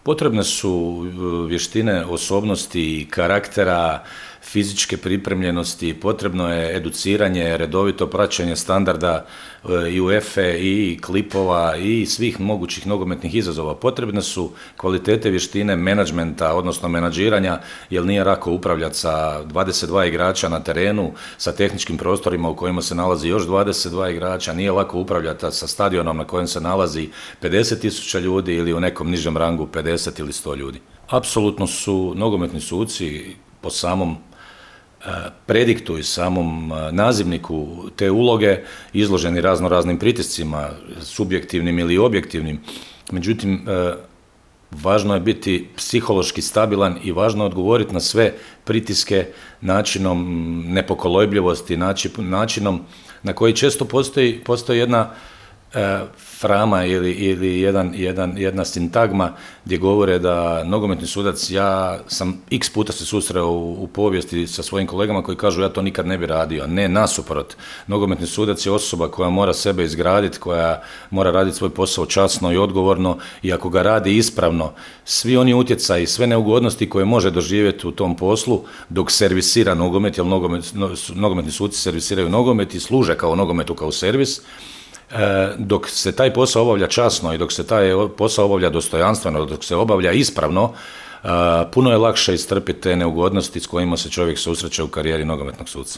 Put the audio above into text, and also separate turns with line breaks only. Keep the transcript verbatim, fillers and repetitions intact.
Potrebne su vještine osobnosti, karaktera, fizičke pripremljenosti, potrebno je educiranje, redovito praćenje standarda i UEFA i klipova i svih mogućih nogometnih izazova. Potrebne su kvalitete vještine menadžmenta, odnosno menadžiranja, jer nije lako upravljati sa dvadeset dva igrača na terenu, sa tehničkim prostorima u kojima se nalazi još dvadeset dva igrača, nije lako upravljati sa stadionom na kojem se nalazi pedeset tisuća ljudi ili u nekom nižem rangu pedeset ili sto ljudi. Apsolutno su nogometni suci po samom prediktu i samom nazivniku te uloge izloženi razno raznim pritiscima, subjektivnim ili objektivnim. Međutim, važno je biti psihološki stabilan i važno je odgovoriti na sve pritiske načinom nepokolebljivosti, načinom na koji često postoji, postoji jedna frama ili, ili jedan, jedan, jedna sintagma gdje govore da nogometni sudac, ja sam x puta se susreo u, u povijesti sa svojim kolegama koji kažu ja to nikad ne bi radio. Ne, nasuprot. Nogometni sudac je osoba koja mora sebe izgraditi, koja mora raditi svoj posao časno i odgovorno i ako ga radi ispravno, svi oni utjecaji, sve neugodnosti koje može doživjeti u tom poslu dok servisira nogomet, jer nogomet, nogometni suci servisiraju nogomet i služe kao nogometu kao servis, dok se taj posao obavlja časno i dok se taj posao obavlja dostojanstveno, dok se obavlja ispravno, puno je lakše istrpiti te neugodnosti s kojima se čovjek susreće u karijeri nogometnog suca.